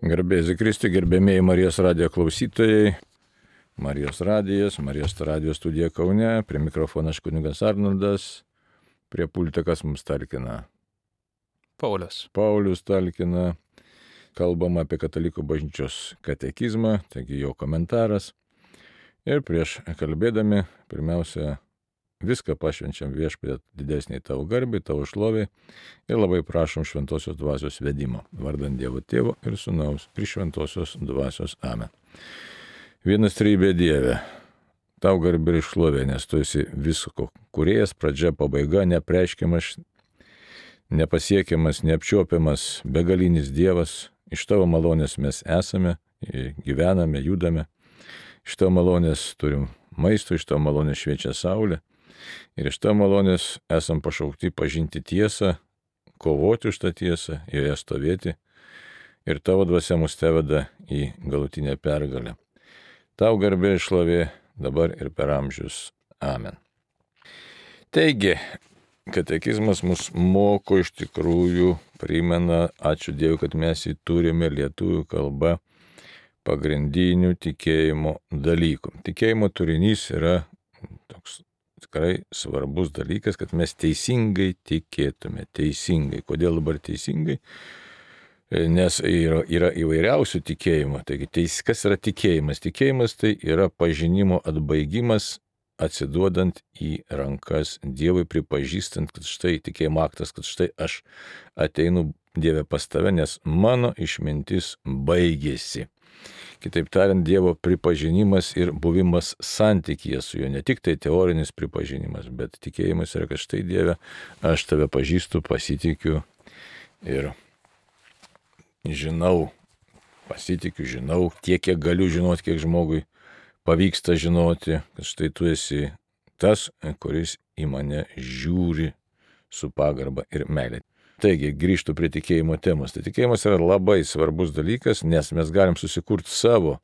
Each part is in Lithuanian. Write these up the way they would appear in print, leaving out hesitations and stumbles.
Garbėsiu Kristui, gerbėmėjai Marijos radijo klausytojai. Marijos radijo studija Kaune, prie mikrofono aš kunigas Arnoldas, prie pultekas mums talkina Paulius talkina, kalbama apie katalikų bažnyčios katekizmą, taigi jo komentaras. Ir prieš kalbėdami, pirmiausia, viską pašvenčiam Viešpatie didesniai tavo garbei, tavo šloviai ir labai prašom šventosios dvasios vedimo, vardant Dievo Tėvo ir Sūnaus ir šventosios dvasios. Amen. Vienas trejybė Dieve, tau garbė ir šlovė, nes tu esi visko kūrėjas, pradžia, pabaiga, neapreiškiamas, nepasiekiamas, neapčiuopiamas, begalinis Dievas. Iš tavo malonės mes esame, gyvename, judame. Iš tavo malonės turim maisto, iš tavo malonės šviečia saulė. Ir iš tavo malonės esam pašaukti pažinti tiesą, kovoti už tą tiesą, joje stovėti. Ir tavo dvasia mus teveda į galutinę pergalę. Tau garbė ir šlovė dabar ir per amžius. Amen. Taigi, katekizmas mus moko iš tikrųjų, primena, ačiū Dievui, kad mes jį turime lietuvių kalba, pagrindinių tikėjimo dalykų. Tikėjimo turinys yra toks tikrai svarbus dalykas, kad mes teisingai tikėtume. Teisingai. Kodėl dabar teisingai? Nes yra įvairiausių tikėjimų. Taigi, kas yra tikėjimas? Tikėjimas tai yra pažinimo atbaigimas, atsiduodant į rankas Dievui, pripažįstant, kad štai tikėjimo aktas, kad štai aš ateinu Dieve pas tave, nes mano išmintis baigėsi. Kitaip tariant, Dievo pripažinimas ir buvimas santykyje su juo, ne tik tai teorinis pripažinimas, bet tikėjimas yra, kad štai Dieve, aš tave pažįstu, pasitikiu ir žinau, tiek, kiek galiu žinoti, kiek žmogui pavyksta žinoti, kad štai tu esi tas, kuris į mane žiūri su pagarba ir meilė. Taigi, grįžtu prie tikėjimo temos. Tai tikėjimas yra labai svarbus dalykas, nes mes galim susikurti savo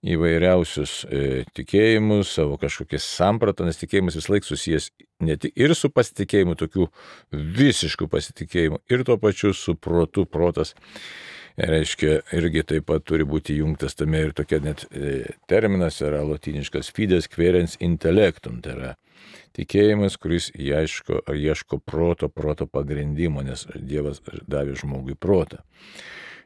įvairiausius tikėjimus, savo kažkokias sampratą, nes tikėjimas vis laik susijęs ne tik ir su pasitikėjimu, tokiu visišku pasitikėjimu, ir tuo pačiu su protu. Protas reiškia, irgi taip pat turi būti jungtas tame ir tokia net terminas yra lotyniškas fides quaerens intellectum, tai yra tikėjimas, kuris ieško proto pagrindimo, nes Dievas davė žmogui protą.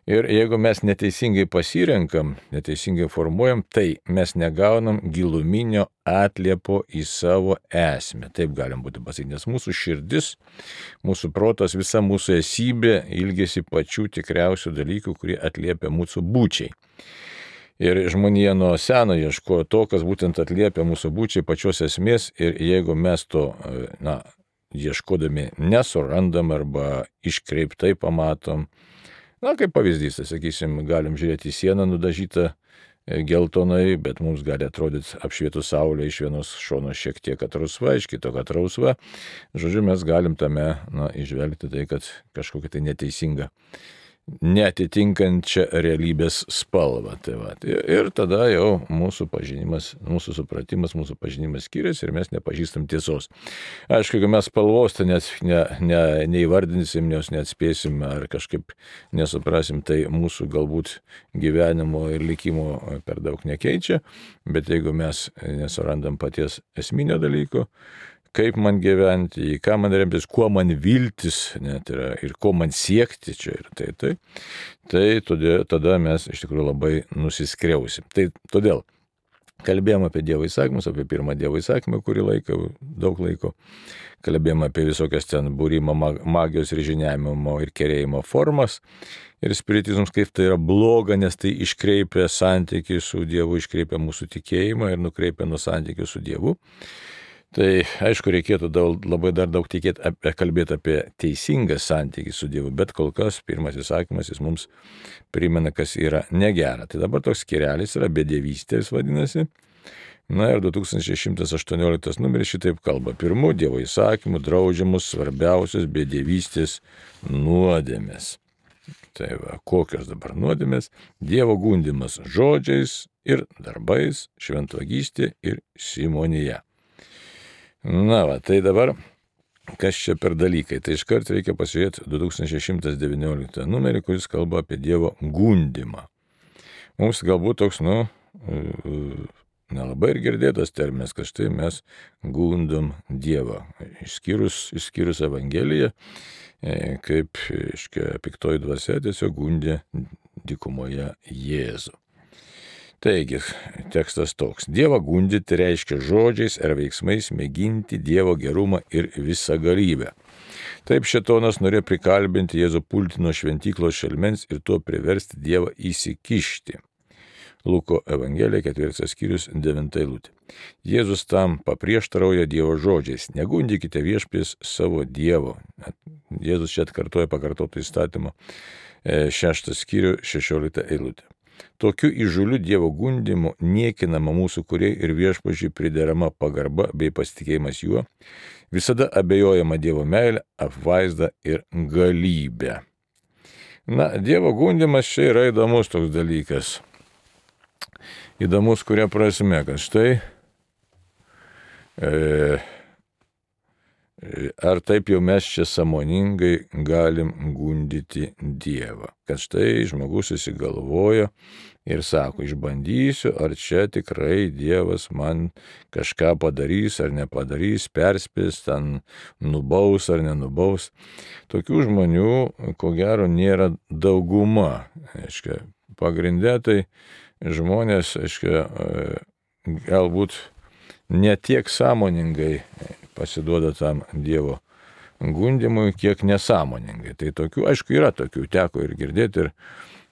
Ir jeigu mes neteisingai pasirenkam, neteisingai formuojam, tai mes negaunam giluminio atliepo į savo esmę. Taip galim būti pasakyti, nes mūsų širdis, mūsų protas, visa mūsų esybė ilgėsi pačių tikriausių dalykų, kurie atliepia mūsų būčiai. Ir žmonija nuo seno ieškojo to, kas būtent atliepia mūsų būčiai pačios esmės, ir jeigu mes to, ieškodami nesurandam arba iškreiptai pamatom, kaip pavyzdys, tai sakysim, galim žiūrėti į sieną nudažytą geltonai, bet mums gali atrodyti apšvietų saulė iš vienos šono šiek tiek atrausva, iš kito atrausva. Žodžiu, mes galim tame išvelgti tai, kad kažkokia tai neteisinga, neatitinkančią realybės spalvą. Tai va. Ir tada jau mūsų pažinimas, mūsų supratimas, mūsų pažinimas skiriasi ir mes nepažįstam tiesos. Aišku, jeigu mes spalvos tai neįvardinsim, nes neatspėsim ar kažkaip nesuprasim, tai mūsų galbūt gyvenimo ir likimo per daug nekeičia, bet jeigu mes nesurandam paties esminio dalyko, kaip man gyventi, į ką man remtis, kuo man viltis, net yra, ir ko man siekti čia ir tai tada mes iš tikrųjų labai nusiskriausim. Tai todėl kalbėjom apie Dievo įsakymus, apie pirmą Dievo įsakymą, daug laiko, kalbėjom apie visokias ten būrimo, magijos ir žiniavimo ir kerėjimo formas ir spiritizmus, kaip tai yra bloga, nes tai iškreipia santykį su Dievu, iškreipia mūsų tikėjimą ir nukreipia nuo santykių su Dievu. Tai aišku, reikėtų labai dar daug kalbėti apie teisingą santykį su Dievu, bet kol kas pirmas įsakymas jis mums primena, kas yra negera. Tai dabar toks skyrelis yra bedievystė, jis vadinasi. Ir 2618 numeris šitaip kalba. Pirmų Dievo įsakymų draudžiamus svarbiausios bedievystės nuodėmės. Tai va, kokios dabar nuodėmės? Dievo gundymas žodžiais ir darbais, šventvagystė ir simonija. Tai dabar Kas čia per dalykai? Tai iškart reikia pasižiūrėti 2119 numerį, kuris kalba apie Dievo gundimą. Mums galbūt toks, nelabai ir girdėtas terminas, kad štai mes gundom Dievą. Išskyrus Evangeliją, kaip piktoji dvasia tiesiog gundė dykumoje Jėzų. Taigi, tekstas toks. Dievą gundyti reiškia žodžiais ar veiksmais mėginti Dievo gerumą ir visagalybę. Taip šėtonas norėjo prikalbinti Jėzų pulti nuo šventyklos šelmens ir tuo priversti Dievą įsikišti. Luko Evangelija 4 skyrius 9 eilutė. Jėzus tam paprieštarauja Dievo žodžiais. Negundykite viešpės savo Dievo. Jėzus čia atkartoja pakartotą įstatymą 6 skyrių 16 eilutė. Tokiu įžūliu Dievo gundimu niekinama mūsų Kūrėjui ir Viešpačiui priderama pagarba bei pasitikėjimas juo, visada abejojama Dievo meilė, apvaizda ir galybė. Dievo gundimas čia yra įdomus toks dalykas. Įdomus kuria prasme, kad štai ar taip jau mes čia sąmoningai galim gundyti Dievą. Kad štai žmogus susigalvojo ir sako, išbandysiu, ar čia tikrai Dievas man kažką padarys ar nepadarys, perspės, ten nubaus ar nenubaus. Tokių žmonių, ko gero, nėra dauguma. Pagrindė tai žmonės, galbūt ne tiek sąmoningai pasiduoda tam Dievo gundimui, kiek nesąmoningai. Tai tokių, aišku, yra tokių, teko ir girdėti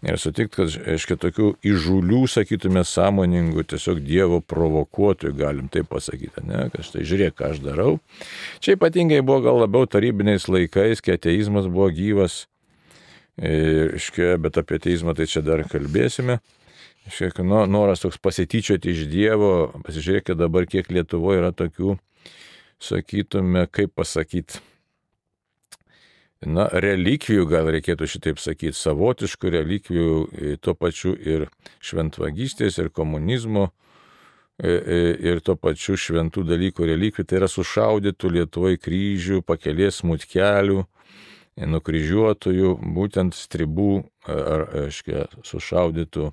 ir sutikti, kad, tokių įžūlių, sakytume, sąmoningų, tiesiog Dievo provokuotojų, galim taip pasakyti, ne, kad štai žiūrėk, ką aš darau. Čia ypatingai buvo gal labiau tarybiniais laikais, kai ateizmas buvo gyvas, bet apie ateizmą tai čia dar kalbėsime. Noras toks pasityčioti iš Dievo, pasižiūrėkite dabar, kiek Lietuvoje yra tokių, sakytume, kaip pasakyti, relikvijų, gal reikėtų šitaip sakyti, savotiškų relikvijų, tuo pačiu ir šventvagystės, ir komunizmo, ir tuo pačiu šventų dalykų relikvijų, tai yra sušaudytų Lietuvoje kryžių, pakelės smutkelių, nukryžiuotųjų, būtent stribų, ar, sušaudytų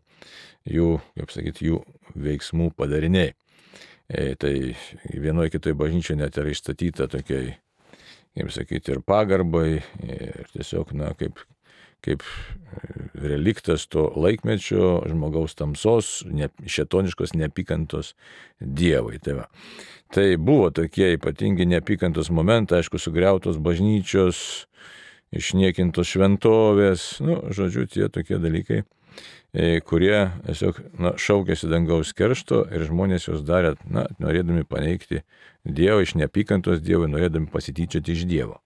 jų, kaip sakyti, jų veiksmų padariniai. Tai vienoje kitoje bažnyčioje net yra išstatyta tokiai, kaip sakyti, ir pagarbai, ir tiesiog, kaip reliktas to laikmečio žmogaus tamsos, šėtoniškos neapykantos Dievui. Tai buvo tokie ypatingi neapykantos momentai, aišku, sugriautos bažnyčios, išniekintos šventovės, žodžiu, tie tokie dalykai, kurie tiesiog šaukėsi dangaus keršto ir žmonės juos darė, norėdami paneigti Dievą, iš neapykantos Dievui, norėdami pasityčioti iš Dievo.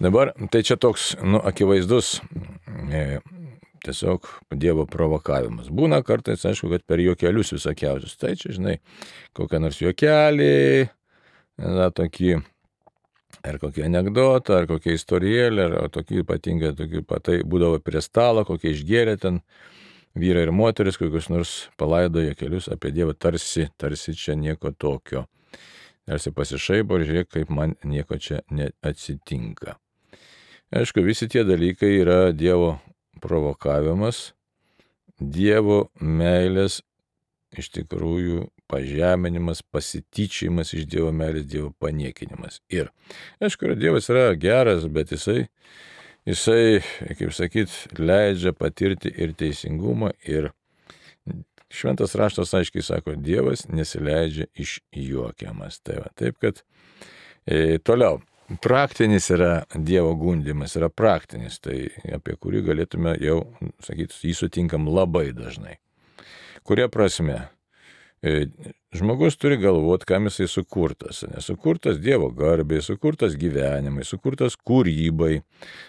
Dabar, tai čia toks, akivaizdus tiesiog Dievo provokavimas. Būna kartais, aišku, kad per juokelius visokiausius. Tai čia, kokią nors juokelį, tokį, ar kokį anekdotą, ar kokią istorijėlę, ar tokį ypatingą, tai būdavo prie stalo, kokie išgėrė ten vyrai ir moteris, kokius nors palaidojo kelius apie Dievą, tarsi čia nieko tokio. Tarsi pasišaipo ir žiūrėk, kaip man nieko čia neatsitinka. Aišku, visi tie dalykai yra Dievo provokavimas, Dievo meilės iš tikrųjų pažeminimas, pasityčiajimas iš Dievo meilės, Dievo paniekinimas. Ir, aišku, Dievas yra geras, bet jisai, kaip sakyt, leidžia patirti ir teisingumą, ir šventas raštas aiškiai sako, Dievas nesileidžia išjuokiamas. Taip, kad toliau, praktinis yra Dievo gundimas, yra praktinis, tai apie kurį galėtume jau, sakyti, jį sutinkam labai dažnai. Kuria prasme? Žmogus turi galvoti, kam jisai sukurtas. Sukurtas Dievo garbei, sukurtas gyvenimai, sukurtas kūrybai,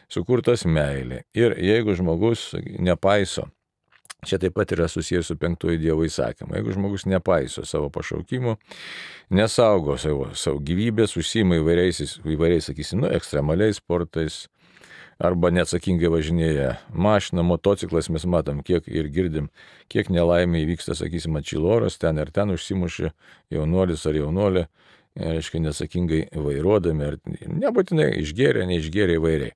sukurtas meilė. Ir jeigu žmogus nepaiso, čia taip pat yra susijęs su 5 Dievo įsakymu, jeigu žmogus nepaiso savo pašaukimo, nesaugo savo gyvybės, užsiima įvairiais, sakysim, ekstremaliais sportais, arba neatsakingai važinėja mašina, motociklas, mes matom, kiek ir girdim, kiek nelaimė įvyksta, sakysim, atšilo oras, ten ir ten užsimušė jaunuolis ar jaunolė, reiškia, neatsakingai vairuodami, ar nebūtinai išgėrė, neišgėrė įvairiai.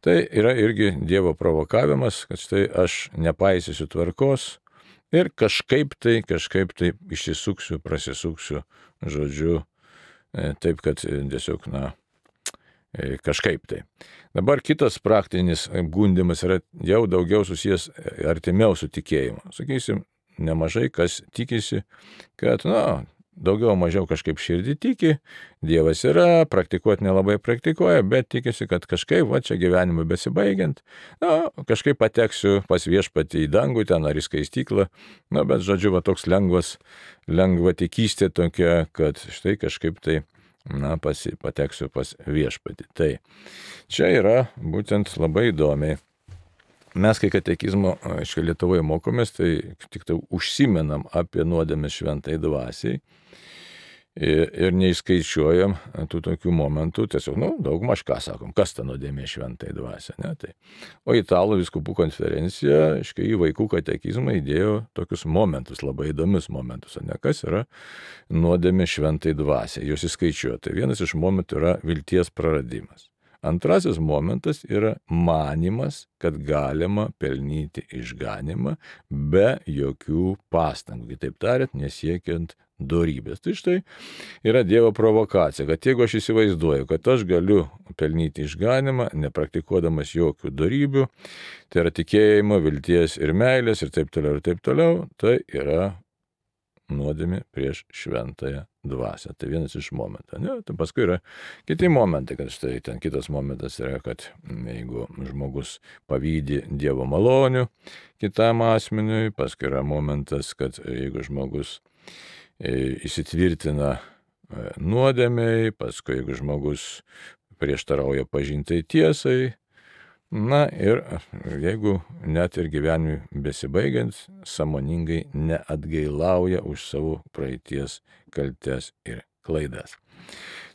Tai yra irgi Dievo provokavimas, kad štai aš nepaisysiu tvarkos ir kažkaip tai išsisuksiu, prasisuksiu, žodžiu, taip, kad tiesiog, kažkaip tai. Dabar kitas praktinis gundymas yra jau daugiau susijęs artimiau su tikėjimu. Sakysim, nemažai kas tikisi, kad, daugiau mažiau kažkaip širdį tiki, Dievas yra, praktikuoti nelabai praktikuoja, bet tikisi, kad kažkaip, čia gyvenimui besibaigiant, kažkaip pateksiu pas Viešpatį į dangų ten ar į skaistyklą, bet žodžiu, toks lengva tikystė tokia, kad štai kažkaip tai, pateksiu pas Viešpatį. Tai čia yra būtent labai įdomiai. Mes, kai katekizmo Lietuvoje mokomės, tai tik tai užsimenam apie nuodėmes šventai dvasiai ir neįskaičiuojam tų tokių momentų, tiesiog, daugmaž ką sakom, kas ta nuodėmė šventai dvasia, ne? Tai. O Italų vyskupų konferencija, į vaikų katekizmą įdėjo tokius momentus, labai įdomius momentus, ne, kas yra nuodėmė šventai dvasia, jos įskaičiuoja. Tai vienas iš momentų yra vilties praradimas. Antrasis momentas yra manimas, kad galima pelnyti išganymą be jokių pastangų, kitaip tariant, nesiekiant dorybės. Tai štai yra Dievo provokacija, kad jeigu aš įsivaizduoju, kad aš galiu pelnyti išganymą, nepraktikuodamas jokių dorybių, tai yra tikėjimo, vilties ir meilės ir taip toliau, tai yra nuodėmė prieš šventąją dvasią. Tai vienas iš momentų. Tai paskui yra kiti momentai, kad štai ten kitas momentas yra, kad jeigu žmogus pavydi Dievo malonių kitam asmeniui, paskui yra momentas, kad jeigu žmogus įsitvirtina nuodėmei, paskui jeigu žmogus prieštarauja pažintai tiesai, ir jeigu net ir gyvenimui besibaigiant, sąmoningai neatgailauja už savo praeities kaltes ir klaidas.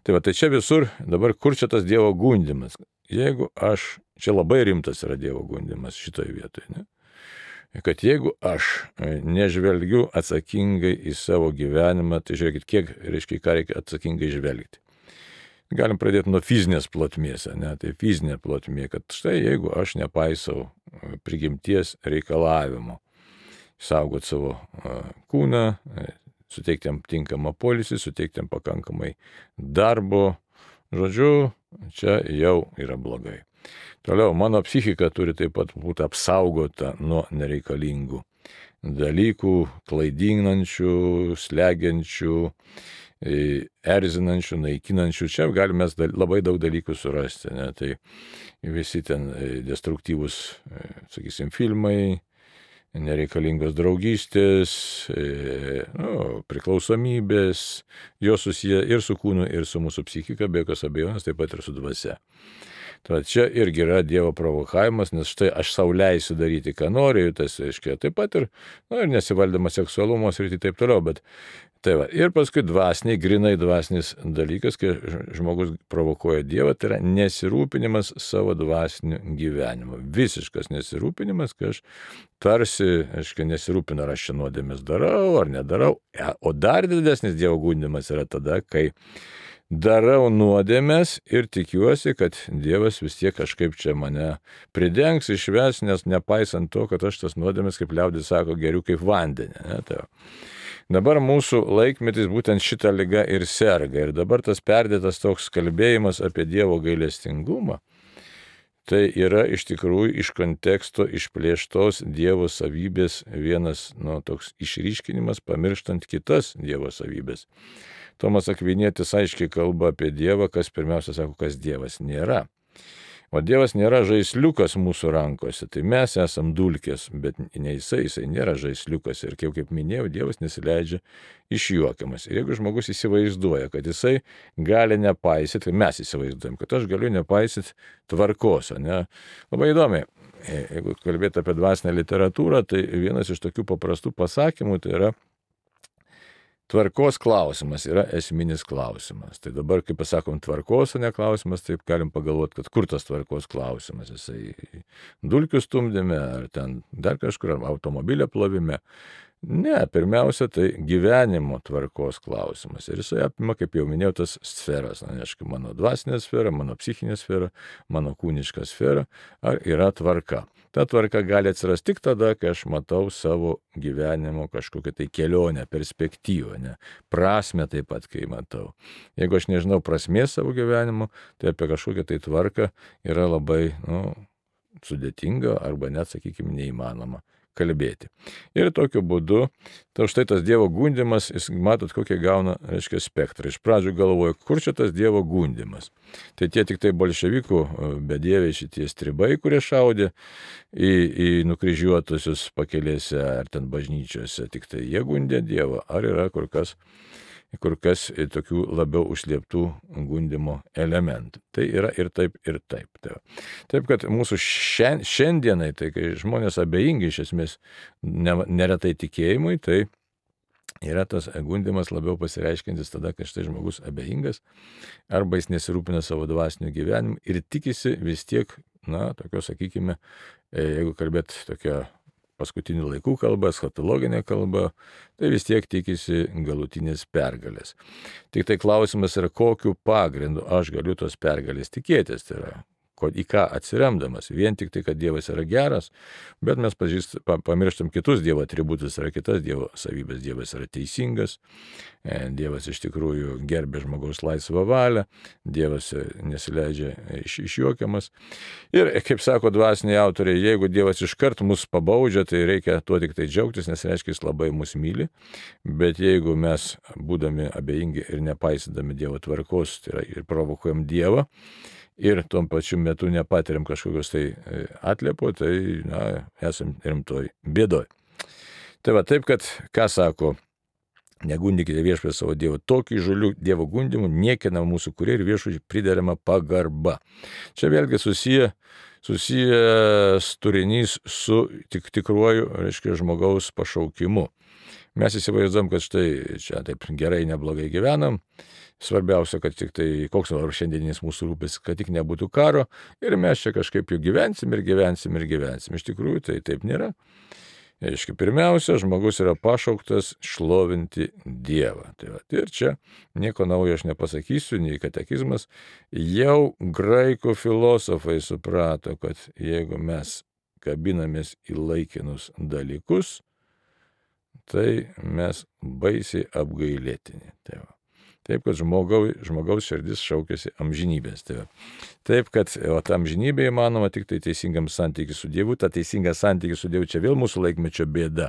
Tai čia visur, dabar kur čia tas Dievo gundymas? Jeigu čia labai rimtas yra Dievo gundymas šitoje vietoje, ne? Kad jeigu aš nežvelgiu atsakingai į savo gyvenimą, tai žiūrėkit, ką reikia atsakingai žvelgti. Galim pradėti nuo fizinės plotmės, ne? Tai fizinė plotmė, kad štai jeigu aš nepaisau prigimties reikalavimo, saugot savo kūną, suteikti jam tinkamą poilsį, suteikti jam pakankamai darbo, žodžiu, čia jau yra blogai. Toliau, mano psichika turi taip pat būti apsaugota nuo nereikalingų dalykų, klaidinančių, slegiančių, erzinančių, naikinančių. Čia galime labai daug dalykų surasti. Ne? Tai visi ten destruktyvūs, sakysim, filmai, nereikalingos draugystės, priklausomybės, jos susiję ir su kūnu, ir su mūsų psichika, be jokios abejonės, taip pat ir su dvasia. Tad čia irgi yra Dievo provokavimas, nes štai aš sau leisiu daryti, ką noriu, tas reiškia taip pat ir nesivaldymas seksualumo srity taip toliau, bet tai va. Ir paskui grinai dvasinis dalykas, kai žmogus provokuoja Dievą, tai yra nesirūpinimas savo dvasiniu gyvenimu. Visiškas nesirūpinimas, kai aš tarsi, nesirūpinu, ar aš čia nuodėmes darau ar nedarau. O dar didesnis Dievo gundymas yra tada, kai darau nuodėmes ir tikiuosi, kad Dievas vis tiek kažkaip čia mane pridengs, išves, nes nepaisant to, kad aš tas nuodėmes, kaip liaudis sako, geriu kaip vandenį. Ne? Tai dabar mūsų laikmetis būtent šitą ligą ir serga. Ir dabar tas perdėtas toks kalbėjimas apie Dievo gailestingumą, tai yra iš tikrųjų iš konteksto išplėštos Dievo savybės vienas toks išryškinimas, pamirštant kitas Dievo savybės. Tomas Akvinietis aiškiai kalba apie Dievą, kas pirmiausia sako, kas Dievas nėra. O Dievas nėra žaisliukas mūsų rankose, tai mes esam dulkės, bet ne jisai nėra žaisliukas. Ir kaip minėjau, Dievas nesileidžia išjuokiamas. Ir jeigu žmogus įsivaizduoja, kad jisai gali nepaisyti, tai mes įsivaizduojam, kad aš galiu nepaisyti tvarkos, ne? Labai įdomiai, jeigu kalbėti apie dvasinę literatūrą, tai vienas iš tokių paprastų pasakymų tai yra tvarkos klausimas yra esminis klausimas. Tai dabar, kai pasakom tvarkos, o ne klausimas, taip galim pagalvoti, kad kur tas tvarkos klausimas. Jisai dulkių stumdyme, ar ten dar kažkur, ar automobilio plovime. Ne, pirmiausia, tai gyvenimo tvarkos klausimas. Ir jisai apima, kaip jau minėjau, tas sferas. Na, aišku, mano dvasinė sfera, mano psichinė sfera, mano kūniška sfera. Ar yra tvarka? Ta tvarka gali atsirasti tik tada, kai aš matau savo gyvenimo kažkokią tai kelionę, perspektyvą, ne? Prasmę taip pat, kai matau. Jeigu aš nežinau prasmės savo gyvenimo, tai apie kažkokią tai tvarką yra labai, sudėtinga arba net, sakykime, neįmanoma kalbėti. Ir tokiu būdu, tai štai tas Dievo gundymas, jis matot, kokie gauna, reiškia, spektrą. Iš pradžių galvoju, kur čia tas Dievo gundymas. Tai tie tik tai bolševikų bedieviai šitie stribai, kurie šaudė į nukryžiuotusius pakelėse ar ten bažnyčiose, tik tai jie gundė Dievą, ar yra kur kas tokių labiau užslėptų gundymo elementų. Tai yra ir taip, ir taip. Taip, kad mūsų šiandienai, tai kai žmonės abejingi iš esmės neretai tikėjimui, tai yra tas gundymas labiau pasireiškintis tada, kai štai žmogus abejingas, arba jis nesirūpina savo dvasiniu gyvenimu ir tikisi vis tiek, tokio, sakykime, jeigu kalbėt tokia paskutinių laikų kalba, eschatologinė kalba, tai vis tiek tikisi galutinės pergalės. Tik tai klausimas yra, kokiu pagrindu aš galiu tos pergalės tikėtis. Tai yra, į ką atsiremdamas. Vien tik tai, kad Dievas yra geras, bet mes pamirštam kitus Dievo atributus, yra kitas Dievo savybės. Dievas yra teisingas, Dievas iš tikrųjų gerbė žmogaus laisvą valią, Dievas nesileidžia išjuokiamas. Ir, kaip sako dvasiniai autoriai, jeigu Dievas iškart mus pabaudžia, tai reikia tuo tik tai džiaugtis, nes reiškia, jis labai mus myli. Bet jeigu mes, būdami abejingi ir nepaisydami Dievo tvarkos, tai yra ir provokuojam Dievą, ir tuo pačiu metu nepatiriam kažkokios tai atliepo, tai esam rimtoj bėdoj. Tai va taip, kad, ką sako, negundykite viešpatį savo Dievo, tokį įžūlių Dievo gundymų niekina mūsų kurie ir viešpačiui priderama pagarba. Čia vėlgi susijęs turinys su tikruoju, reiškia, žmogaus pašaukimu. Mes įsivaizduom, kad štai čia taip gerai, neblogai gyvenam. Svarbiausia, kad tik tai, koks nors šiandieninis mūsų rūpestis, kad tik nebūtų karo ir mes čia kažkaip jau gyvensim. Iš tikrųjų, tai taip nėra. Aiškiai, pirmiausia, žmogus yra pašauktas šlovinti Dievą. Tai va, ir čia nieko naujo aš nepasakysiu, nei katekizmas. Jau graikų filosofai suprato, kad jeigu mes kabinamės į laikinus dalykus, tai mes baisiai apgailėtini. Tai va. Taip, kad žmogaus širdis šaukiasi amžinybės. Taip, kad ta amžinybė įmanoma tik tai teisingam santykiui su Dievu. Ta teisinga santykiui su Dievu čia vėl mūsų laikmečio bėda.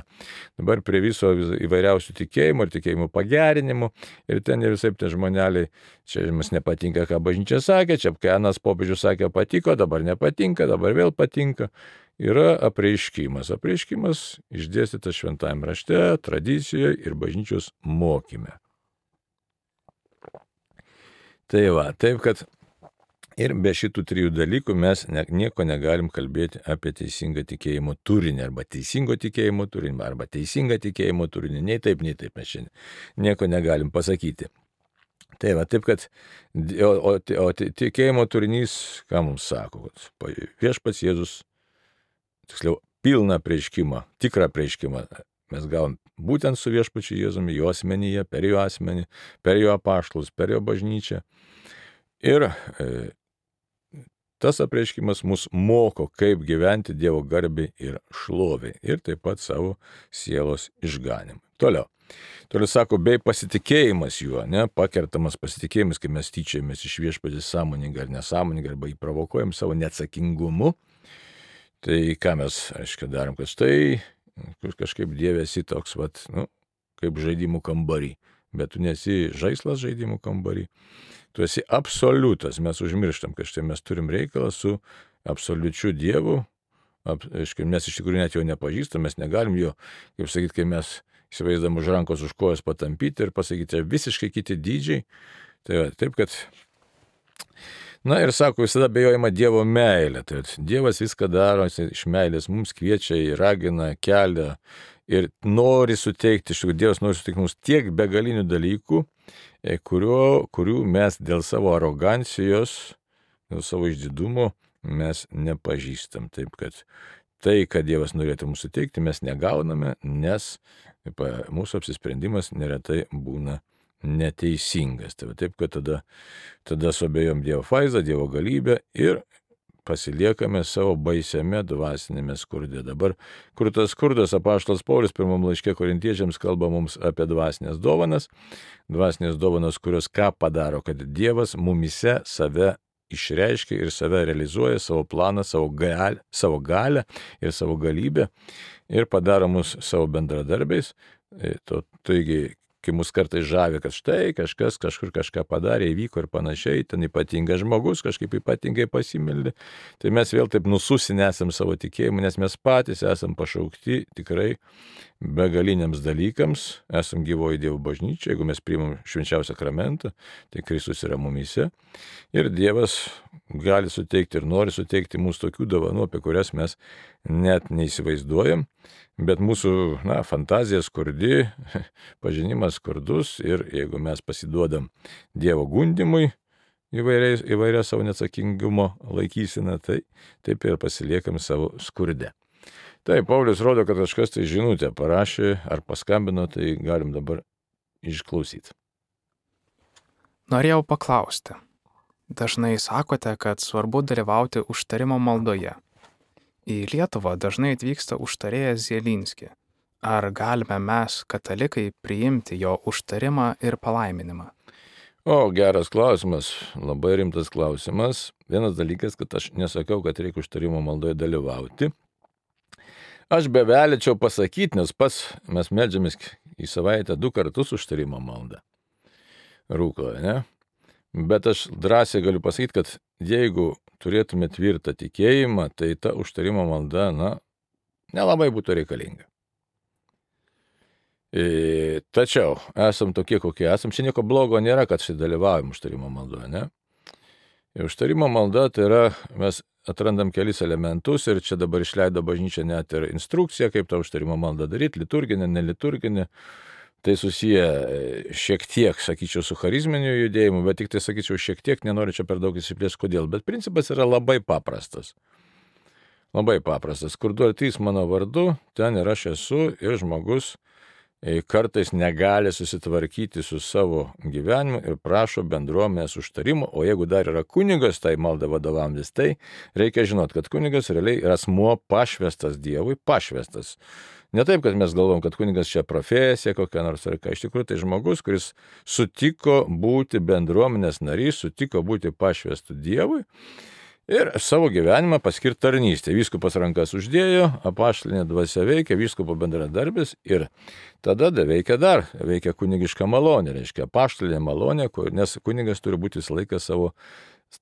Dabar prie viso įvairiausių tikėjimų ir tikėjimų pagerinimų. Ir ten ir visai tie žmoneliai, čia jums nepatinka, ką bažnyčia sakė, čia kai anas popiežius sakė patiko, dabar nepatinka, dabar vėl patinka. Yra apreiškimas. Apreiškimas išdėstytas šventajame rašte, tradicijoje ir bažnyčios mokyme. Tai va, taip, kad ir be šitų trijų dalykų mes nieko negalim kalbėti apie teisingą tikėjimo turinį, arba teisingo tikėjimo turinį, arba teisingą tikėjimo turinį. Nei taip mes šiandien nieko negalim pasakyti. Tai va, taip, kad o tikėjimo turinys, ką mums sako, kad viešpats Jėzus, tiksliau, pilną apreiškimą, tikrą apreiškimą mes gavom būtent su viešpačiu Jėzumi, jo asmenyje, per jo asmenį, per jo apaštalus, per jo bažnyčią. Ir tas apreiškimas mus moko, kaip gyventi Dievo garbei ir šloviai ir taip pat savo sielos išganimui. Toliau sako, bei pasitikėjimas juo, pakertamas pasitikėjimas, kai mes tyčiamės iš viešpatės sąmoningai ar nesąmoningai, arba jį provokuojam savo neatsakingumu. Tai ką mes, aiškiai, darom, kad štai kažkaip Dieve esi toks, kaip žaidimų kambarį, bet tu nesi žaislas žaidimų kambarį, tu esi absoliutas, mes užmirštam, kad štai mes turim reikalą su absoliučiu Dievu, aiškiai, mes iš tikrųjų net jo nepažįstam, mes negalim jo, kaip sakyti, kai mes įsivaizduojam už rankos, už kojas patampyti ir pasakyti, visiškai kiti dydžiai, tai taip, kad ir sako, visada abejojama Dievo meilė. Tai Dievas viską daro iš meilės, mums kviečia, ragina, kelia ir nori suteikti, Dievas nori suteikti mums tiek begalinių dalykų, kurių mes dėl savo arogancijos, dėl savo išdidumo mes nepažįstam. Taip, kad tai, kad Dievas norėtų mums suteikti, mes negauname, nes mūsų apsisprendimas neretai būna neteisingas. Tai va taip, kad tada suabejom Dievo vaizdą, Dievo galybę ir pasiliekame savo baisiame dvasinėme skurde. Dabar, kur tas skurdas, apaštalas Paulius pirmam laiške Korintiečiams kalba mums apie dvasinės dovanas, kurios ką padaro, kad Dievas mumise save išreiškia ir save realizuoja, savo planą, savo galę ir savo galybę ir padaro mus savo bendradarbiais. Taigi, kai mus kartais žavi, kad štai kažkas kažkur kažką padarė, įvyko ir panašiai, ten ypatingas žmogus kažkaip ypatingai pasimeldė, tai mes vėl taip nususinę esam savo tikėjimu, nes mes patys esam pašaukti tikrai begaliniams dalykams, esam gyvoji Dievo bažnyčia, jeigu mes priimam švenčiausią sakramentą, tai Kristus yra mumise ir Dievas gali suteikti ir nori suteikti mums tokių dovanų, apie kurias mes net neįsivaizduojam, bet mūsų fantazija skurdi, pažinimas skurdus ir jeigu mes pasiduodam Dievo gundimui įvairia savo neatsakingumo laikysena, tai taip ir pasiliekam savo skurde. Tai Paulius rodo, kad kažkas tai žinutę parašė ar paskambino, tai galim dabar išklausyti. Norėjau paklausti. Dažnai sakote, kad svarbu dalyvauti užtarimo maldoje. Į Lietuvą dažnai atvyksta užtarėjas Zielinski. Ar galime mes, katalikai, priimti jo užtarimą ir palaiminimą? Geras klausimas, labai rimtas klausimas. Vienas dalykas, kad aš nesakau, kad reikia užtarimo maldoje dalyvauti. Aš bevelėčiau pasakyti, nes pats mes meldžiamės į savaitę 2 kartus užtarimo maldą. Rūkloje, ne? Bet aš drąsiai galiu pasakyti, kad jeigu turėtume tvirtą tikėjimą, tai ta užtarimo malda, nelabai būtų reikalinga. Tačiau esam tokie, kokie esam. Čia nieko blogo nėra, kad dalyvaujam užtarimo maldoje, ne? Ir užtarimo malda tai yra, mes atrandam kelis elementus ir čia dabar išleido bažnyčia net ir instrukciją, kaip tą užtarimo maldą daryti, liturginę, neliturginę. Tai susiję šiek tiek, sakyčiau, su charizminiu judėjimu, bet tik tai, sakyčiau, šiek tiek, nenoriu čia per daug įsiplėsti, kodėl. Bet principas yra labai paprastas. Labai paprastas. Kur 2 ar 3 mano vardu, ten ir aš esu ir žmogus kartais negali susitvarkyti su savo gyvenimu ir prašo bendruomenės užtarimo, o jeigu dar yra kunigas, tai malda vadovaujantis, tai reikia žinoti, kad kunigas realiai yra asmuo pašvestas Dievui, pašvestas. Ne taip, kad mes galvom, kad kunigas čia profesija kokia nors ar ką, iš tikrųjų tai žmogus, kuris sutiko būti bendruomenės narys, sutiko būti pašvestu Dievui ir savo gyvenimą paskirti tarnystę. Vyskupas rankas uždėjo, apaštalinė dvasia veikia, vyskupo bendradarbis ir tada veikia kunigiška malonė, reiškia apaštalinė malonė, nes kunigas turi būti visą laiką savo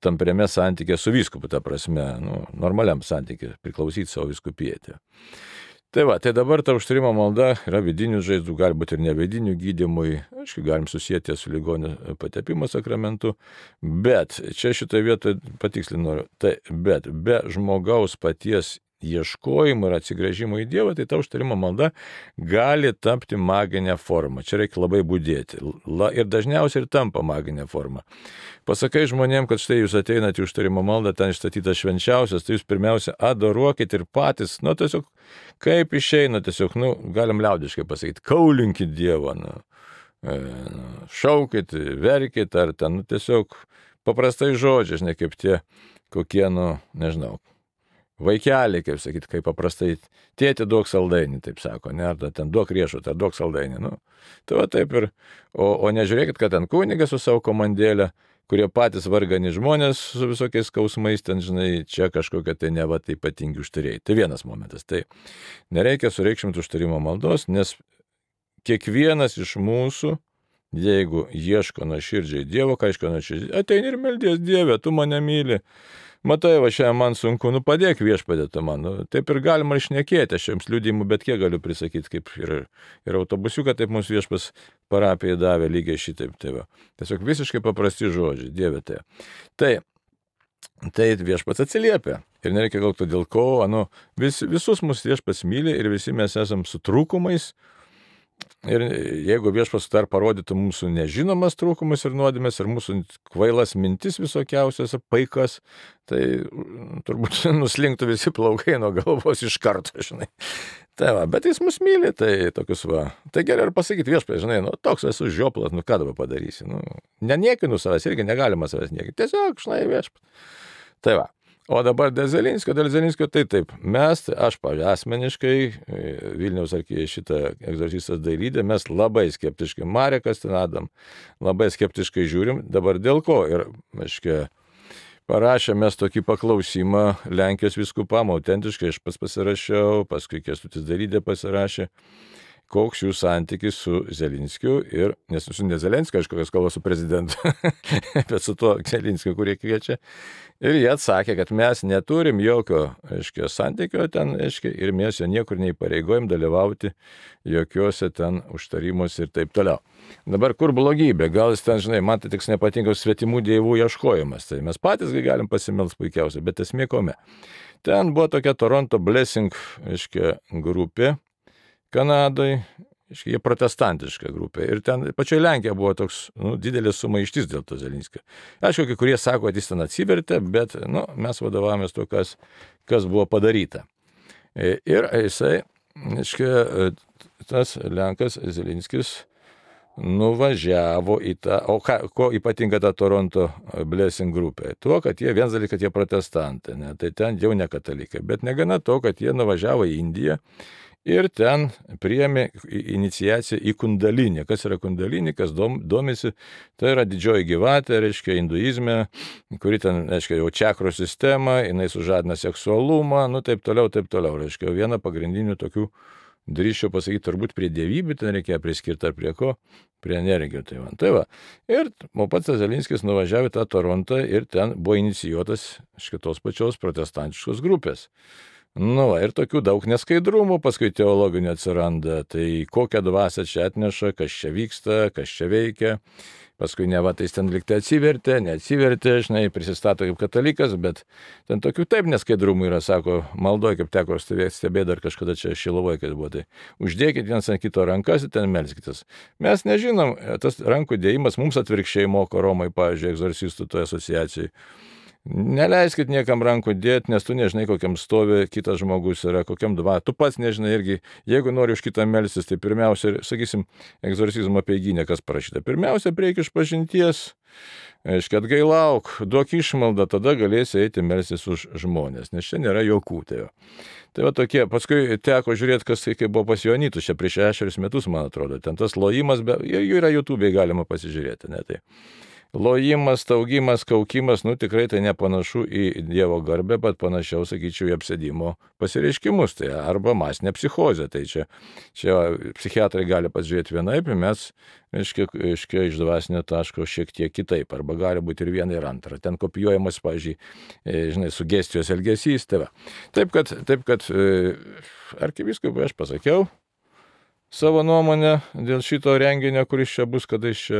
tampriame santykė su vyskupu, ta prasme, normaliam santykė, priklausyti savo vyskupijai. Tai dabar ta užtarimo malda yra vidinių žaizdų, gali būti ir nevidinių gydymui, aišku, galim susijęti su ligonio patepimo sakramentu, bet čia šitoje vietoje patikslinu, bet be žmogaus paties ieškojimo ir atsigręžimo į Dievą, tai ta užtarimo malda gali tapti maginę formą. Čia reikia labai budėti. Ir dažniausiai ir tampa maginė forma. Pasakai žmonėms, kad štai jūs ateinate į užtarimo maldą, ten išstatytas švenčiausias, tai jūs pirmiausia adoruokit ir patys, tiesiog kaip išeina, tiesiog, galim liaudiškai pasakyti, kaulinkit Dievą, šaukit, verkit, ar ten, tiesiog paprastai žodžiai, ne kaip tie kokie, nežinau, vaikeliai, kaip sakyti, kaip paprastai, tėti duok saldainį, taip sako, ne, ar ten duok riešutą, ar duok saldainį, Tai va taip ir, o nežiūrėkit, kad ten kunigas su savo komandėlė, kurie patys vargani žmonės su visokiais skausmais, ten, žinai, čia kažkokie tai neva tai ypatingi užtarėjai. Tai vienas momentas, tai nereikia sureikšminti užtarimo maldos, nes kiekvienas iš mūsų, jeigu ieško nuoširdžiai Dievo, ką ieško nuoširdžiai, ateini ir meldies Dieve, tu mane myli. Matai, va šiandien man sunku, padėk Viešpatie tu man. Taip ir galima išnekėti, aš jums liudijimų bet kiek galiu prisakyti, kaip ir autobusiuką, taip mums Viešpas parapijai davė lygiai šitaip. Tai va. Tiesiog visiškai paprasti žodžiai, Dieve tai. Tai Viešpats atsiliepia. Ir nereikia galvoti dėl ko, visus mus Viešpats myli ir visi mes esam su trūkumais. Ir jeigu Viešpats dar parodytų mūsų nežinomas trūkumus ir nuodėmes ir mūsų kvailas mintis visokiausias paikas, tai turbūt nuslinktų visi plaukai nuo galvos iš karto, žinai. Tai va, bet jis mus myli, tai tokius va. Tai gerai ir pasakyti Viešpatie, žinai, toks esu žioplas, ką dabar padarysi. Neniekinu savęs, irgi negalima savęs niekinti. Tiesiog, žinai, Viešpatie. Tai va. O dabar dėl Zelinskio, tai taip, aš, pavyzdžiui, asmeniškai, Vilniaus šitą egzorcistas Dailydė, mes labai skeptiškai, Marekas ten Adam, labai skeptiškai žiūrim, dabar dėl ko. Ir, parašėm mes tokį paklausimą Lenkijos vyskupam, autentiškai aš pasirašiau, paskui Kęstutis Dailydė pasirašė, koks jų santykis su Zelinskiu ir, nes ne Zelenskio, aišku, kas kalba su prezidentu, bet su tuo Zelinskiu, kurį kviečia. Ir jie atsakė, kad mes neturim jokio, santykio ten, ir mes jo niekur neįpareigojom dalyvauti jokiuose ten užtarimuose ir taip toliau. Dabar kur blogybė? Gal jis ten, žinai, man tai tik nepatinka svetimų dievų ieškojimas. Tai mes patys galim pasimelst puikiausiai, bet esmė kome. Ten buvo tokia Toronto Blessing, grupė Kanadoje, jie protestantiška grupė. Ir ten pačioje Lenkijoje buvo toks didelis sumaištis dėl to Zelinskio. Aišku, kai kurie sako, kad jis ten atsivertė, bet mes vadovavomės to, kas buvo padaryta. Ir jisai, tas Lenkas Zelinskis nuvažiavo į tą, ko ypatinga ta Toronto Blessing grupė? Tuo, kad jie, vienas dalykas, kad jie protestantai, ne? Tai ten jau ne katalikai, bet negana to, kad jie nuvažiavo į Indiją, ir ten priėmė iniciaciją į kundalinį. Kas yra kundalinį, kas domisi, tai yra didžioji gyvatė, hinduizme, kuri ten, jau čakrų sistema, jinai sužadina seksualumą, taip toliau. Viena pagrindinių tokių, drįsčiau pasakyti, turbūt prie dievybių ten reikėjo priskirti ar prie ko, prie energijų. Tai va. Ir pats Zelinskis nuvažiavo į tą Torontą ir ten buvo inicijuotas tos pačios protestantiškos grupės. Ir tokių daug neskaidrumų paskui teologinių atsiranda, tai kokią dvasią čia atneša, kas čia vyksta, kas čia veikia, paskui neva tai ten liktai neatsivertė, žinai, prisistato kaip katalikas, bet ten tokių taip neskaidrumų yra, sako, maldoje, kaip teko stebėti dar kažkada čia Šilovoje, kad buvo, tai uždėkit vienas ant kito rankas ir ten melskitės. Mes nežinom, tas rankų dėjimas mums atvirkščiai moko Romai, pavyzdžiui, egzorcistų toje asociacijoje. Neleiskit niekam rankų dėti, nes tu nežinai, kokiam stovi kitas žmogus yra, kokiam tu pats nežinai irgi, jeigu nori už kitą melstis, tai pirmiausia, sakysim, egzorcizmo apeiginė, kas parašyta. Pirmiausia, reikia išpažinties, atgailauk, duok išmaldą, tada galėsi eiti melstis už žmonės, nes čia nėra jokų tėvo. Tai va tokie, paskui teko žiūrėti, kas kai buvo pas Joanitus, čia prieš 6 metus, man atrodo, ten tas lojimas, jų yra YouTube'e, galima pasižiūrėti, ne tai. Lojimas, taugimas, kaukimas, tikrai tai nepanašu į Dievo garbę, bet panašiau, sakyčiau, į apsėdimo pasireiškimus, tai arba masinė psichozė, tai čia psichiatrai gali pasižiūrėti vienaip, mes, iš dvasinio taško šiek tiek kitaip, arba gali būti ir viena ir antra, ten kopijuojamas, pavyzdžiui, žinai, sugestijos elgesys, tai va. Taip kad arkivyskupui aš pasakiau savo nuomonę dėl šito renginio, kuris čia bus, kada iš čia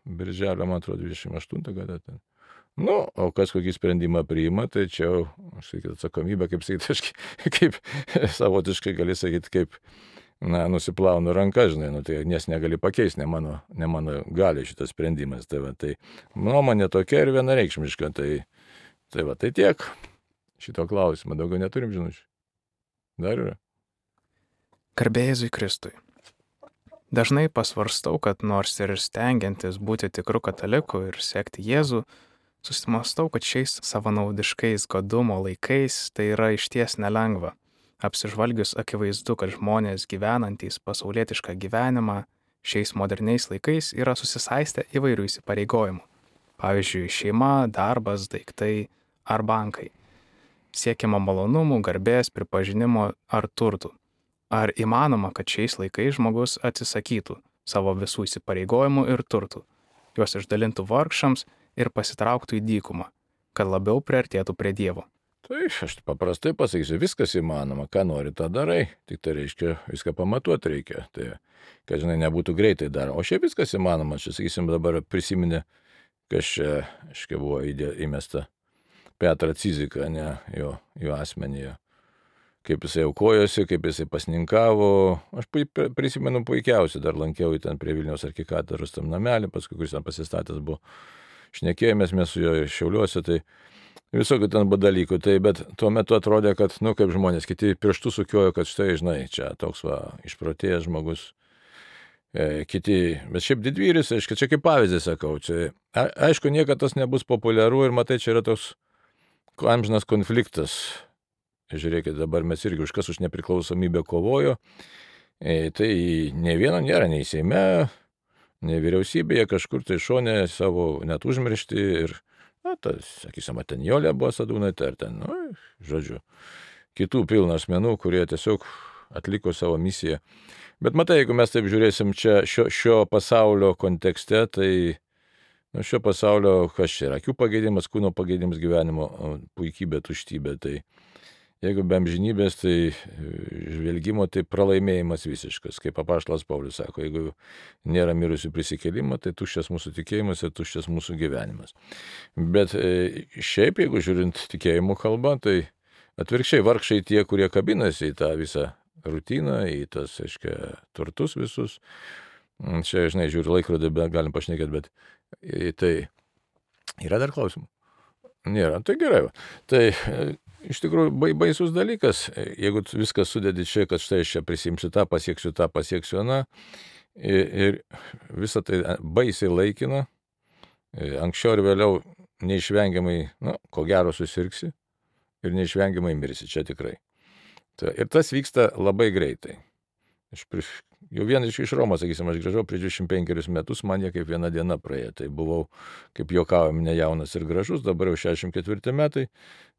birželio, man atrodo, 28 kada ten. O kas kokį sprendimą priima, tai čia, aš sakyti, atsakomybė, kaip sakyti, kaip savotiškai gali sakyti, kaip, nusiplaunu ranką, žinai, tai nes negali pakeisti, ne mano gali šitas sprendimas. Tai nuomonė tokia ir vienareikšmiška, tai tiek šito klausimo, daugiau neturim žinučių. Dar yra. Garbė Jėzui Kristui. Dažnai pasvarstau, kad nors ir stengiantis būti tikru kataliku ir sekti Jėzų, susimastau, kad šiais savanaudiškais godumo laikais tai yra išties nelengva. Apsižvalgius akivaizdu, kad žmonės gyvenantys pasaulietišką gyvenimą šiais moderniais laikais yra susisaistę įvairių įsipareigojimų. Pavyzdžiui, šeima, darbas, daiktai ar bankai. Siekiama malonumų, garbės, pripažinimo ar turtų. Ar įmanoma, kad šiais laikais žmogus atsisakytų savo visų įsipareigojimų ir turtų, juos išdalintų vargšams ir pasitrauktų į dykumą, kad labiau priartėtų prie Dievo? Tai aš paprastai pasakysiu, viskas įmanoma, ką nori, tą darai, tik tai reiškia, viską pamatuoti reikia, tai, kad, žinai, nebūtų greitai dar. O šiaip viskas įmanoma, čia, sakysim, dabar prisiminė, kas čia, buvo įmesta Petrą Ciziką, ne, jo asmenyje. kaip jisai aukojosi, kaip jisai pasninkavo. Aš prisimenu puikiausiai, dar lankiau ten prie Vilniaus arkikatedros tam namelį, paskui kuris ten pasistatęs buvo. Šnekėjomės mes su juo Šiauliuose, tai visokių ten buvo dalykų. Tai, bet tuo metu atrodė, kad, kaip žmonės, kiti pirštų sukiojo, kad štai, žinai, čia toks išprotėjęs žmogus. Kiti, bet šiaip didvyris, aišku, čia kaip pavyzdį sakau, čia, aišku, niekada tas nebus populiaru ir matai, čia yra toks amžinas konfliktas. Žiūrėkit, dabar mes irgi už nepriklausomybę kovojo, tai ne vieno nėra, nei Seime, nei vyriausybėje, kažkur tai šone savo net užmiršti ir, sakysim, ten Jolė buvo Sadūnaitė, ar ten, žodžiu, kitų pilna asmenų, kurie tiesiog atliko savo misiją. Bet matai, jeigu mes taip žiūrėsim čia šio pasaulio kontekste, tai šio pasaulio kas čia yra? Akių pageidimas, kūno pageidimas, gyvenimo puikybė, tuštybė. Tai jeigu be amžinybės, tai žvelgimo, tai pralaimėjimas visiškas. Kaip apaštalas Paulius sako, jeigu nėra mirusių prisikėlimo, tai tuščias mūsų tikėjimas ir tuščias mūsų gyvenimas. Bet šiaip, jeigu žiūrint tikėjimo kalbą, tai atvirkščiai vargšai tie, kurie kabinasi į tą visą rutiną, į tas, aiškia, turtus visus. Čia, žinai, žiūriu laikrodį, galim pašnekėti, bet tai yra dar klausimų? Nėra, tai gerai. Tai iš tikrųjų baisus dalykas, jeigu viskas sudedi čia, kad štai aš čia prisimsiu tą, pasieksiu, ir visą tai baisiai laikina, anksčiau ir vėliau neišvengiamai, ko gero susirgsi ir neišvengiamai mirsi, čia tikrai. Ir tas vyksta labai greitai. Jau vienas iš Romos, sakysim, aš grįžau prieš 25 metus, man jie kaip viena diena praėjo. Tai buvau, kaip juokavom, nejaunas ir gražus, dabar jau 64 metai.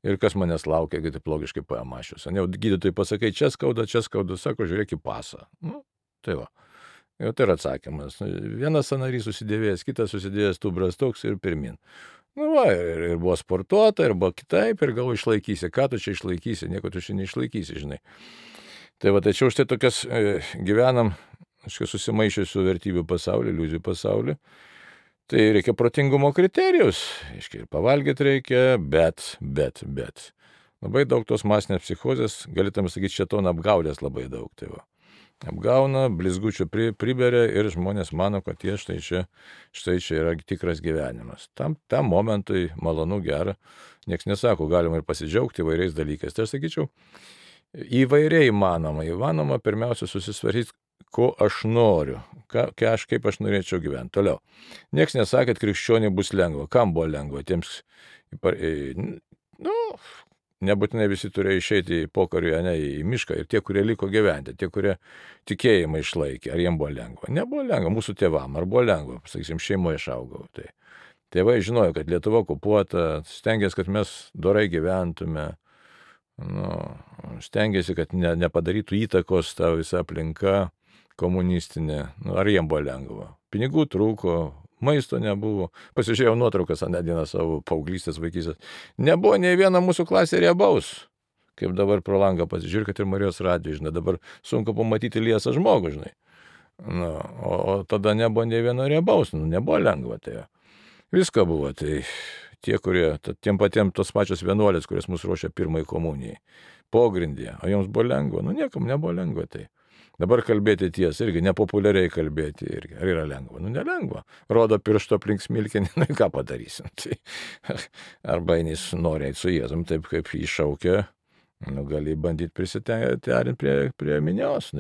Ir kas manęs laukia, kai taip logiškai pamašius. Jau gydytojai pasakai, čia skauda, sako, žiūrėk į pasą. Tai va. Jau tai yra atsakymas. Vienas sąnarys susidėvėjęs, kitas susidėjęs tubras toks ir pirmin. Ir buvo sportuota, ir buvo kitaip, ir gal išlaikysi. Ką tu čia išlaikysi? Nieko tu čia neišlaikysi, žinai. Tai va, tačiau štai tokias gyvenam, susimaišiusių vertybių pasaulį, iliuzijų pasaulį. Tai reikia protingumo kriterijus. Ir pavalgyti reikia, bet. Labai daug tos masinės psichozės, galėtume sakyti, šėtono apgaulės labai daug. Tai va. Apgauna, blizgučių priberia ir žmonės mano, kad štai čia yra tikras gyvenimas. Tam momentui malonu, gera. Niekas nesako, galima ir pasidžiaugti įvairiais dalykais. Tai aš sakyčiau, įvairiai įmanoma pirmiausia susisvaryti, ko aš noriu, kaip aš norėčiau gyventi. Toliau. Niekas nesakė, kad krikščioniai bus lengva. Kam buvo lengva? Tiems, nebūtinai visi turėjo išeiti į pokarį, į mišką. Ir tie, kurie liko gyventi, tie, kurie tikėjimą išlaikė, ar jiems buvo lengva? Nebuvo lengva. Mūsų tėvam, ar buvo lengva? Sakysim, šeimoje išaugau. Tai tėvai žinojo, kad Lietuva okupuota, stengiasi, kad mes dorai gyventume. Stengiasi, kad nepadarytų įtakos ta visa aplinka komunistinė. Ar jiems buvo lengva? Pinigų trūko, maisto nebuvo. Pasižiūrėjau nuotraukas aną dieną savo paauglystės, vaikystės. Nebuvo nei viena mūsų klasė riebaus. Kaip dabar pro langą pasižiūrėk, kad ir Marijos radijo, žinai, dabar sunku pamatyti liesą žmogų, žinai. O tada nebuvo nei vieno riebaus, nebuvo lengva. Tai visko buvo, tai tie, kurie, tiem patiem tos pačios vienuolės, kurios mus ruošia pirmai komunijai, pogrindyje, o joms buvo lengva, niekam nebuvo lengva. Tai dabar kalbėti tiesą, irgi nepopuliariai kalbėti, irgi, ar yra lengva? Nelengva. Rodo piršto aplink smilkinį, ką padarysim. Tai, arba jis nori eiti su Jėzum, taip kaip jį šaukia, gali bandyti prisiterinti prie minios.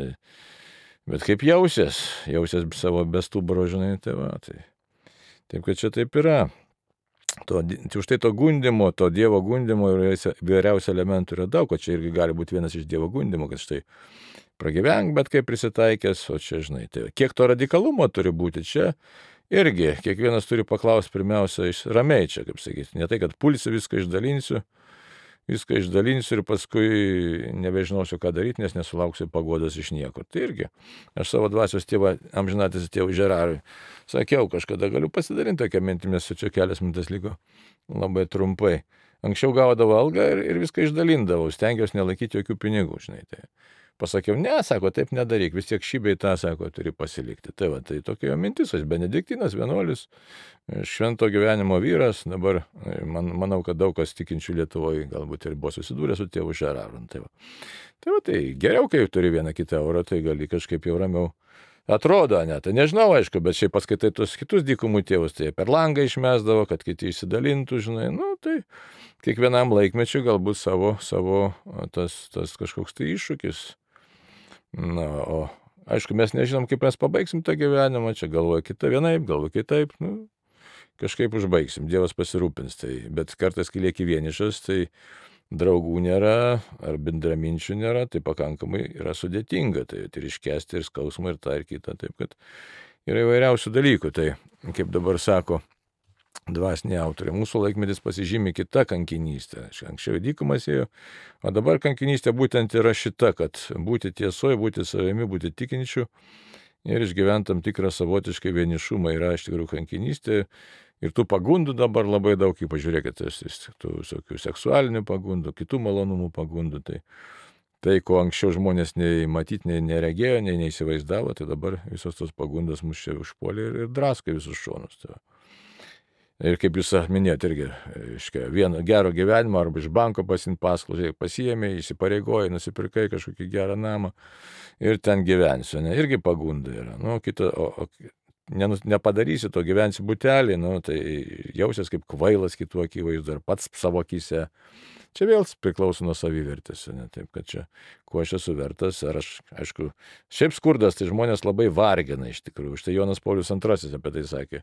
Bet kaip jausies savo bestubro, žinai, tai va. Taip, kad čia taip yra. Už tai to gundimo, to Dievo gundimo įvairiausių elementų yra daug, o čia irgi gali būti vienas iš Dievo gundimo, kad štai pragyvenk, bet kaip prisitaikęs, o čia, žinai, tai kiek to radikalumo turi būti čia, irgi kiekvienas turi paklausti pirmiausia ramiai čia, kaip sakyti, ne tai, kad pulsiu, viską išdalinsiu ir paskui nebežinosiu, ką daryti, nes nesulauksiu paguodos iš niekur. Tai irgi, aš savo dvasios tėvą, amžinatis tėvų Žerarui, sakiau, kažkada galiu pasidalinti tokią mintimį, čia kelias minutės liko labai trumpai. Anksčiau gaudavo algą ir viską išdalindavau, stengiausi nelaikyti jokių pinigų, žinai. Tai pasakiau, ne, sako, taip nedaryk, vis tiek šį bei tą, sako, turi pasilikti. Tai va, tai tokia jo mintis, aš benediktinas, vienuolis, švento gyvenimo vyras, dabar manau, kad daug kas tikinčių Lietuvoje galbūt ir buvo susidūrę su tėvu Žeraru. Tai va, tai geriau, kai turi vieną kitą eurą, tai gali kažkaip jau ramiau. Atrodo, ne, tai nežinau, aišku, bet šiaip paskaitai tus kitus dykumų tėvus, tai per langą išmesdavo, kad kiti išsidalintų, žinai, tai kiekvienam laikmečiui galbūt savo tas kažkoks tai iššūkis. O aišku, mes nežinom, kaip mes pabaigsim tą gyvenimą, čia galvoja kita vienaip, galvoja kitaip, kažkaip užbaigsim, Dievas pasirūpins, bet kartais, kai lieki vienišas, tai draugų nėra, ar bendraminčių nėra, tai pakankamai yra sudėtinga, tai ir iškesti, ir skausmą, ir tą, ir kitą, taip kad yra įvairiausių dalykų, tai kaip dabar sako dvasiniai autoriai, mūsų laikmetis pasižymi kita kankinystė, anksčiau dykumas ėjo, o dabar kankinystė būtent yra šita, kad būti tiesoje, būti savimi, būti tikinčiu ir išgyventi tam tikrą savotiškai vienišumą yra iš tikrųjų kankinystė. Ir tų pagundų dabar labai daug, ypač žiūrėkite, tų visokių seksualinių pagundų, kitų malonumų pagundų. Tai ko anksčiau žmonės nei matyti, nei neregėjo, nei neįsivaizdavo, tai dabar visos tos pagundos mus čia užpuolė ir draskai visus šonus. Ir kaip jūs minėjote irgi, vieno gero gyvenimo arba iš banko pasiimti paskolą, pasiėmė, įsipareigoja, nusipirkai kažkokį gerą namą ir ten gyvensiu, irgi pagunda yra. Nepadarysi to, gyvensi butelį, tai jausies kaip kvailas kitų akivaizdu, ar pats savo akyse. Čia vėl priklauso nuo savivertės, taip kad čia, kuo aš esu vertas, ar aš, aišku, šiaip skurdas, tai žmonės labai vargina iš tikrųjų. Štai Jonas Paulius II apie tai sakė.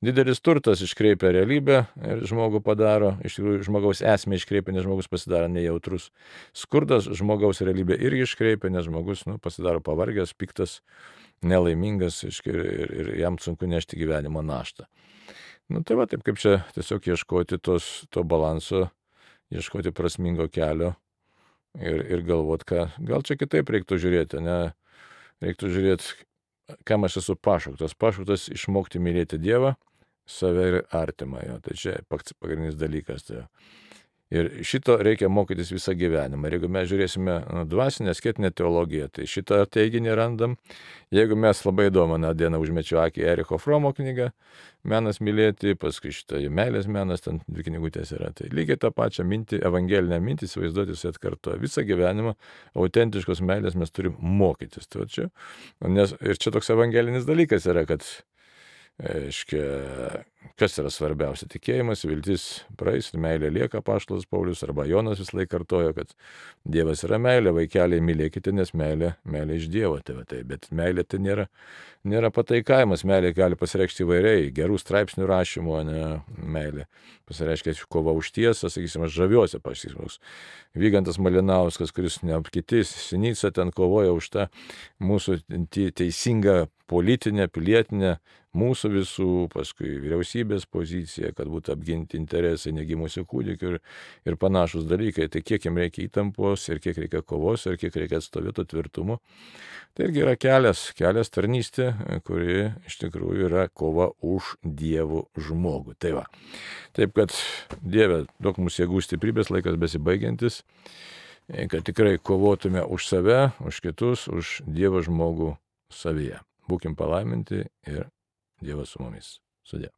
Didelis turtas iškreipia realybę ir žmogų padaro, iš tikrųjų žmogaus esmę iškreipia, nes žmogus pasidaro nejautrus. Skurdas žmogaus realybę irgi iškreipia, nes žmogus pasidaro pavargęs, piktas, nelaimingas ir jam sunku nešti gyvenimo naštą. Tai va, taip kaip čia tiesiog ieškoti to balanso, ieškoti prasmingo kelio ir galvot, gal čia kitaip reiktų žiūrėti, reiktų žiūrėti, kam aš esu pašauktas. Pašauktas išmokti mylėti Dievą, save ir artimą. Tai čia pagrindinis dalykas. Ir šito reikia mokytis visą gyvenimą. Ir jeigu mes žiūrėsime dvasinę, asketinę teologiją, tai šitą teiginį randam. Jeigu mes labai įdomu, dieną užmečiau akį Ericho Fromo knygą, Menas mylėti, paskui šitą meilės menas, ten 2 knygutės yra. Tai lygiai tą pačią mintį, evangelinę mintį, įsivaizduoti, jis atkartoja. Visą gyvenimą autentiškos meilės mes turim mokytis. Ir čia toks evangelinis dalykas yra, kad kas yra svarbiausia? Tikėjimas, viltis praeis, meilė lieka, apaštalas Paulius arba Jonas vis laik kartojo, kad Dievas yra meilė, vaikeliai mylėkite, nes meilė iš Dievo. Bet meilė tai nėra pataikavimas, meilė gali pasireikšti įvairiai, gerų straipsnių rašymo, meilė pasireiškia kova už tiesą, sakysim, aš žaviuosi, Vygantas Malinauskas, kuris kiti Sinica ten kovoja už tą mūsų teisingą politinę, pilietinę, mūsų visų, paskui vyriausybės poziciją, kad būtų apginti interesai negimusių kūdikių ir panašus dalykai. Tai kiek jam reikia įtampos ir kiek reikia kovos ir kiek reikia atstovėto tvirtumo. Tai irgi yra kelias tarnystė, kuri iš tikrųjų yra kova už Dievo žmogų. Tai va. Taip kad Dieve, duok mums jėgų stiprybės, laikas besibaigiantis, kad tikrai kovotume už save, už kitus, už Dievo žmogų savyje. Būkim palaiminti ir Dievas su mumis. Sudie.